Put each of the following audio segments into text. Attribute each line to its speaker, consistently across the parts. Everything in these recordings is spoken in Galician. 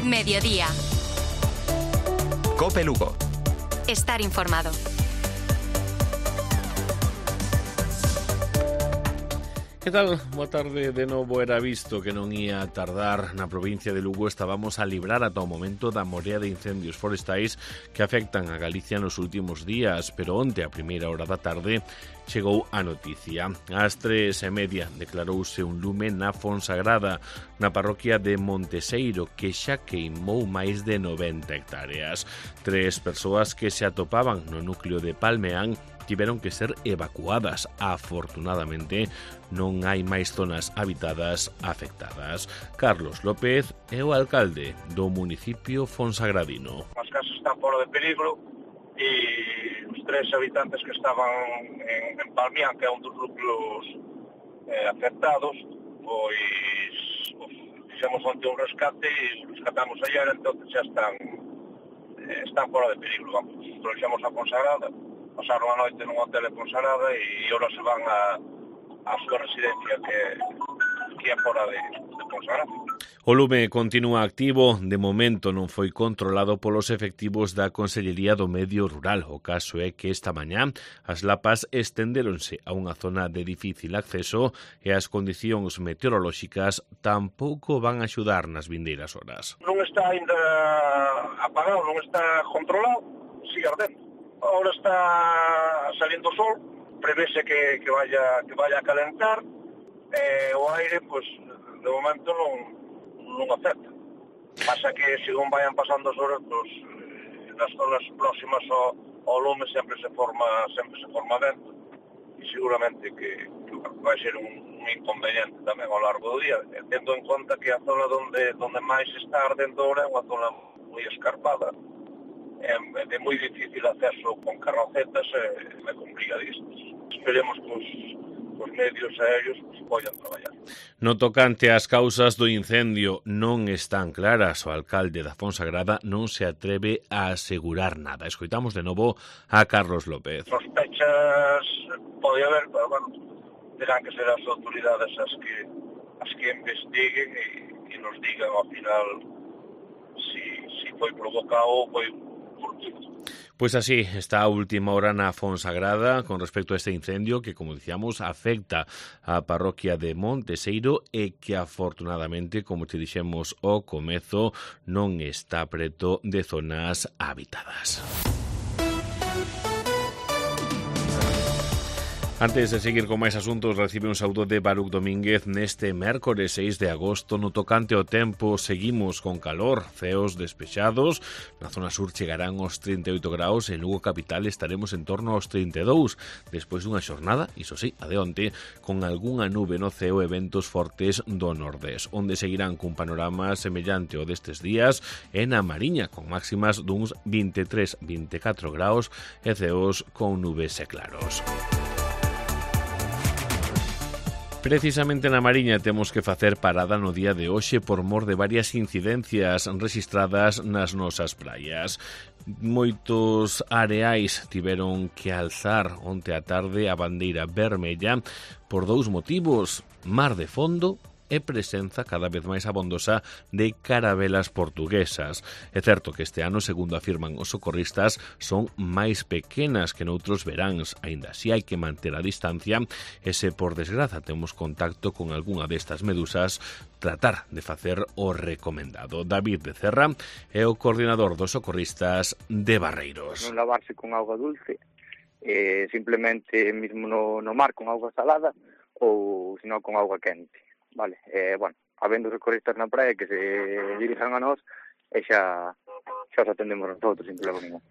Speaker 1: Mediodía.
Speaker 2: COPE Lugo.
Speaker 1: Estar informado.
Speaker 3: Que tal? Boa tarde de novo. Era visto que non ia tardar na provincia de Lugo. Estábamos a librar ata o momento da morea de incendios forestais que afectan a Galicia nos últimos días, pero onte a primeira hora da tarde chegou a noticia. Ás 3:30 declarouse un lume na Fonsagrada, na parroquia de Monteseiro, que xa queimou máis de 90 hectáreas. 3 persoas que se atopaban no núcleo de Palmeán tiveron que ser evacuadas. Afortunadamente, non hai máis zonas habitadas afectadas. Carlos López é o alcalde do municipio fonsagradino.
Speaker 4: As casas están fora de peligro e os 3 habitantes que estaban en Palmeán, que é un dos núcleos afectados, pois fixemos onte un rescate e rescatamos ayer, entón xa están fora de peligro. Vamos, trouxemos a Fonsagrada, pasaron a noite nun hotel de Fonsagrada e agora se van a súa residencia que é fora de Fonsagrada.
Speaker 3: O lume continúa activo, de momento non foi controlado polos efectivos da Consellería do Medio Rural. O caso é que esta mañá as lapas estendéronse a unha zona de difícil acceso e as condicións meteorolóxicas tampouco van a axudar nas vindeiras horas.
Speaker 4: Non está ainda apagado, non está controlado, sigue ardendo. Ahora está saliendo o sol, prevese que vaya a calentar, o aire, pues, de momento non afecta. Pasa que, según vayan pasando as horas, pues, nas zonas próximas ao lume sempre se forma vento, e seguramente que vai ser un inconveniente tamén ao largo do día, tendo en conta que a zona donde máis está ardendo ahora é unha zona moi escarpada, é moi difícil acceso con carrocetas e complicadísimos. Esperemos que os medios aéreos poidan traballar.
Speaker 3: No tocante ás causas do incendio non están claras. O alcalde da Fonsagrada non se atreve a asegurar nada. Escoitamos de novo a Carlos López.
Speaker 4: Sospechas pode haber, pero bueno, terán que ser as autoridades as que investiguen e nos digan ao final si foi provocado ou foi fortuito.
Speaker 3: Pois así está a última hora na Fonsagrada con respecto a este incendio que, como dicíamos, afecta a parroquia de Monteseiro e que afortunadamente, como te dixemos ao comezo, non está preto de zonas habitadas. Antes de seguir con máis asuntos, recibe un saúdo de Baruch Domínguez neste mércores 6 de agosto. No tocante ao tempo, seguimos con calor, ceos despexados. Na zona sur chegarán aos 38 graus, en Lugo capital estaremos en torno aos 32, despois dunha xornada, iso sí, a de onte, con algunha nube no ceo e ventos fortes do nordés, onde seguirán cun panorama semellante ao destes días en a Mariña, con máximas duns 23-24 graus e ceos con nubes e claros. Precisamente na Mariña temos que facer parada no día de hoxe por mor de varias incidencias registradas nas nosas praias. Moitos areais tiveron que alzar onte á tarde a bandeira vermella por 2 motivos: mar de fondo e presenza cada vez máis abondosa de carabelas portuguesas. É certo que este ano, segundo afirman os socorristas, son máis pequenas que noutros veráns, aínda así hai que manter a distancia e se por desgraza temos contacto con algunha destas medusas, tratar de facer o recomendado. David Becerra é o coordinador dos socorristas de Barreiros.
Speaker 5: Non lavarse con auga dulce, simplemente mesmo no mar con auga salada ou senón con auga quente. Vale, bueno, habendo socorristas na praia que se dirijan a nós e xa os atendemos nosotros, sin problema ningún.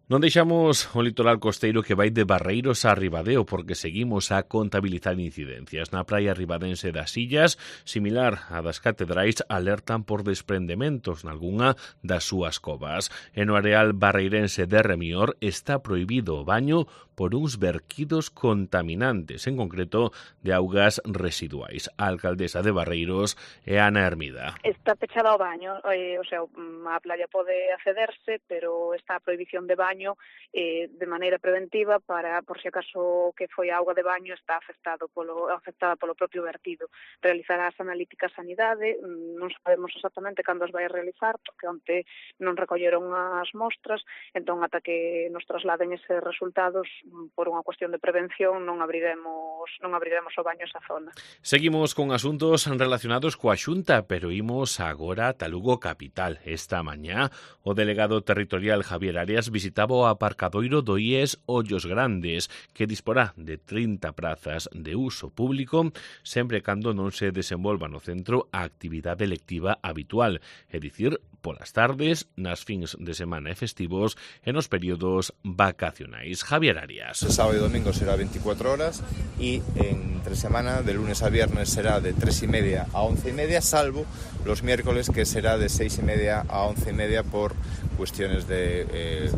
Speaker 3: Non deixamos o litoral costeiro que vai de Barreiros a Ribadeo porque seguimos a contabilizar incidencias. Na praia ribadense das Illas, similar a das catedrais, alertan por desprendementos nalgunha das súas covas. E no areal barreirense de Remior está prohibido o baño por uns verquidos contaminantes, en concreto de augas residuais. A alcaldesa de Barreiros é Ana Hermida.
Speaker 6: Está pechada ao baño, o sea, a playa pode accederse, pero está a prohibición de baño
Speaker 2: baño de maneira preventiva para, por se acaso que foi a auga de baño está afectada polo propio vertido. Realizará as analíticas sanidade, non sabemos exactamente cando as vai a realizar, porque onte non recolleron as mostras, entón ata que nos trasladen eses resultados, por unha cuestión de prevención, non abriremos o baño esa zona.
Speaker 3: Seguimos con asuntos relacionados coa Xunta, pero imos agora ata Lugo capital. Esta mañá, o delegado territorial Javier Arias visitaba o aparcadoiro do IES Ollos Grandes, que disporá de 30 prazas de uso público, sempre cando non se desenvolva no centro a actividade lectiva habitual, é dicir, polas tardes, nas fins de semana e festivos e nos períodos vacacionais. Javier Arias.
Speaker 6: El sábado y domingo será 24 horas y entre semana, de lunes a viernes, será de 3:30 a 11:30, salvo los miércoles, que será de 6:30 a 11:30 por cuestiones de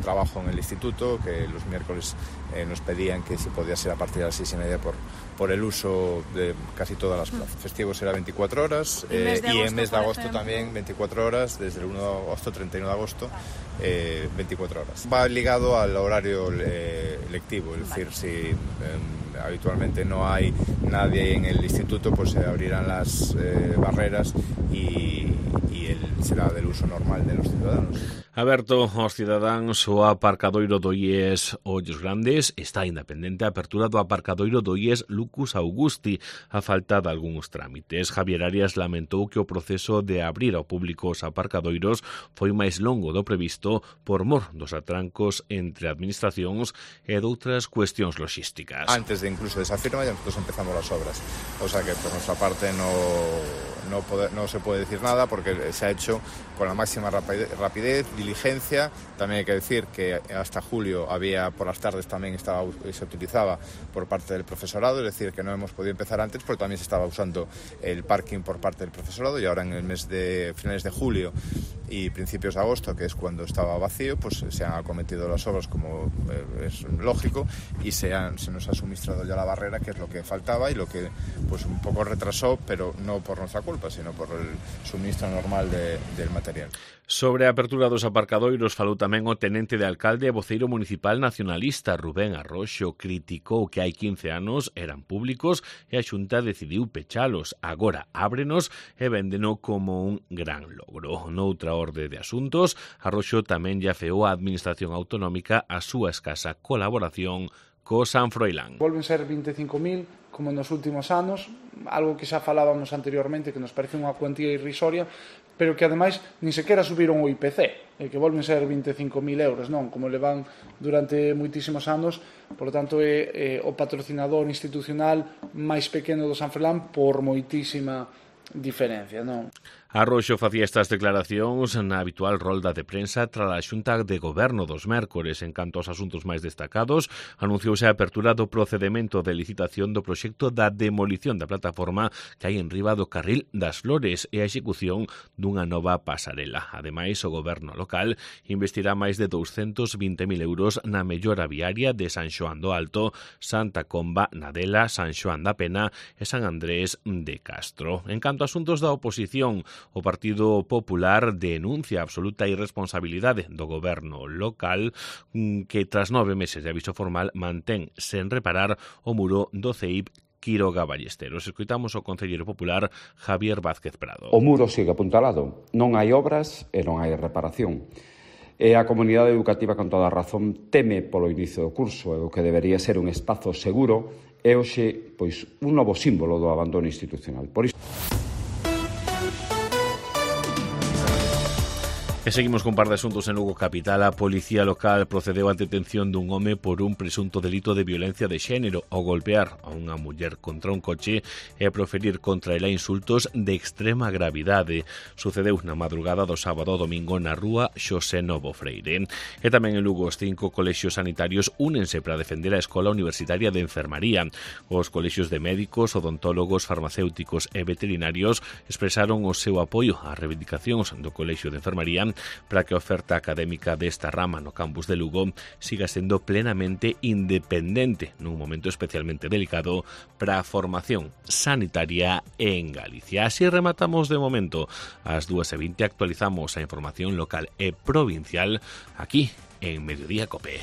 Speaker 6: trabajo en el instituto, que los miércoles nos pedían que si podía ser a partir de las 6:30 por el uso de casi todas las plazas. Festivo será 24 horas y en mes de agosto también 24 horas, desde el 1 de agosto, 31 de agosto, 24 horas. Va ligado al horario lectivo, es decir, si habitualmente no hay nadie en el instituto, pues se abrirán las barreras y será del uso normal de los ciudadanos.
Speaker 3: Aberto aos cidadáns o aparcadoiro do IES Ollos Grandes, está independente a apertura do aparcadoiro do IES Lucus Augusti, a falta de algúns trámites. Javier Arias lamentou que o proceso de abrir ao público os aparcadoiros foi máis longo do previsto por mor dos atrancos entre administracións e doutras cuestións logísticas.
Speaker 6: Antes de incluso de esa firma ya nosotros empezamos las obras, o sea que por nuestra parte no se puede decir nada porque se ha hecho con la máxima rapidez, diligencia. También hay que decir que hasta julio había por las tardes también se utilizaba por parte del profesorado, es decir que no hemos podido empezar antes porque también se estaba usando el parking por parte del profesorado, y ahora en el mes de finales de julio y principios de agosto, que es cuando estaba vacío, pues se han acometido las obras como es lógico, y se nos ha suministrado ya la barrera, que es lo que faltaba y lo que pues un poco retrasó, pero no por nuestra culpa, sino por el suministro normal del material.
Speaker 3: Sobre a apertura dos aparcadoiros falou tamén o tenente de alcalde e voceiro municipal nacionalista Rubén Arroxo. Criticou que hai 15 anos eran públicos e a Xunta decidiu pechalos. Agora ábrenos e véndeno como un gran logro. Noutra orde de asuntos, Arroxo tamén lle afeou a Administración Autonómica a súa escasa colaboración co San Froilán.
Speaker 7: Volven ser 25.000 como nos últimos anos, algo que xa falábamos anteriormente, que nos parece unha cuantía irrisoria, pero que ademais nin sequera subiron o IPC, e que volven ser 25.000 euros, non? Como levan durante moitísimos anos, por lo tanto é o patrocinador institucional máis pequeno do San Froilán por moitísima diferencia, non?
Speaker 3: Arroxo facía estas declaracións na habitual rolda de prensa tras a Xunta de Goberno dos mércores. En canto aos asuntos máis destacados, anunciouse a apertura do procedemento de licitación do proxecto da demolición da plataforma que hai en riba do Carril das Flores e a execución dunha nova pasarela. Ademais, o Goberno local investirá máis de 220.000 euros na mellora viaria de San Xoán do Alto, Santa Comba, Nadela, San Xoán da Pena e San Andrés de Castro. En canto a asuntos da oposición, o Partido Popular denuncia a absoluta irresponsabilidade do goberno local que tras 9 meses de aviso formal mantén sen reparar o muro do CEIP Quiroga Ballesteros. Escoitamos o concelleiro popular Javier Vázquez Prado.
Speaker 8: O muro sigue apuntalado, non hai obras e non hai reparación. E a comunidade educativa, con toda a razón, teme polo inicio do curso, e o que debería ser un espazo seguro é hoxe pois un novo símbolo do abandono institucional. Por iso
Speaker 3: E seguimos con par de asuntos en Lugo capital. A policía local procedeu á detención dun home por un presunto delito de violencia de xénero ao golpear a unha muller contra un coche e a proferir contra ela insultos de extrema gravidade. Sucedeu na madrugada do sábado ao domingo na rúa Xosé Novo Freire. E tamén en Lugo os 5 colexios sanitarios únense para defender a Escola Universitaria de Enfermaría. Os colexios de médicos, odontólogos, farmacéuticos e veterinarios expresaron o seu apoio ás reivindicacións do Colexio de Enfermaría para que a oferta académica desta rama no campus de Lugo siga sendo plenamente independente nun momento especialmente delicado para a formación sanitaria en Galicia. Así rematamos de momento. Ás 2:20 actualizamos a información local e provincial aquí en Mediodía Cope.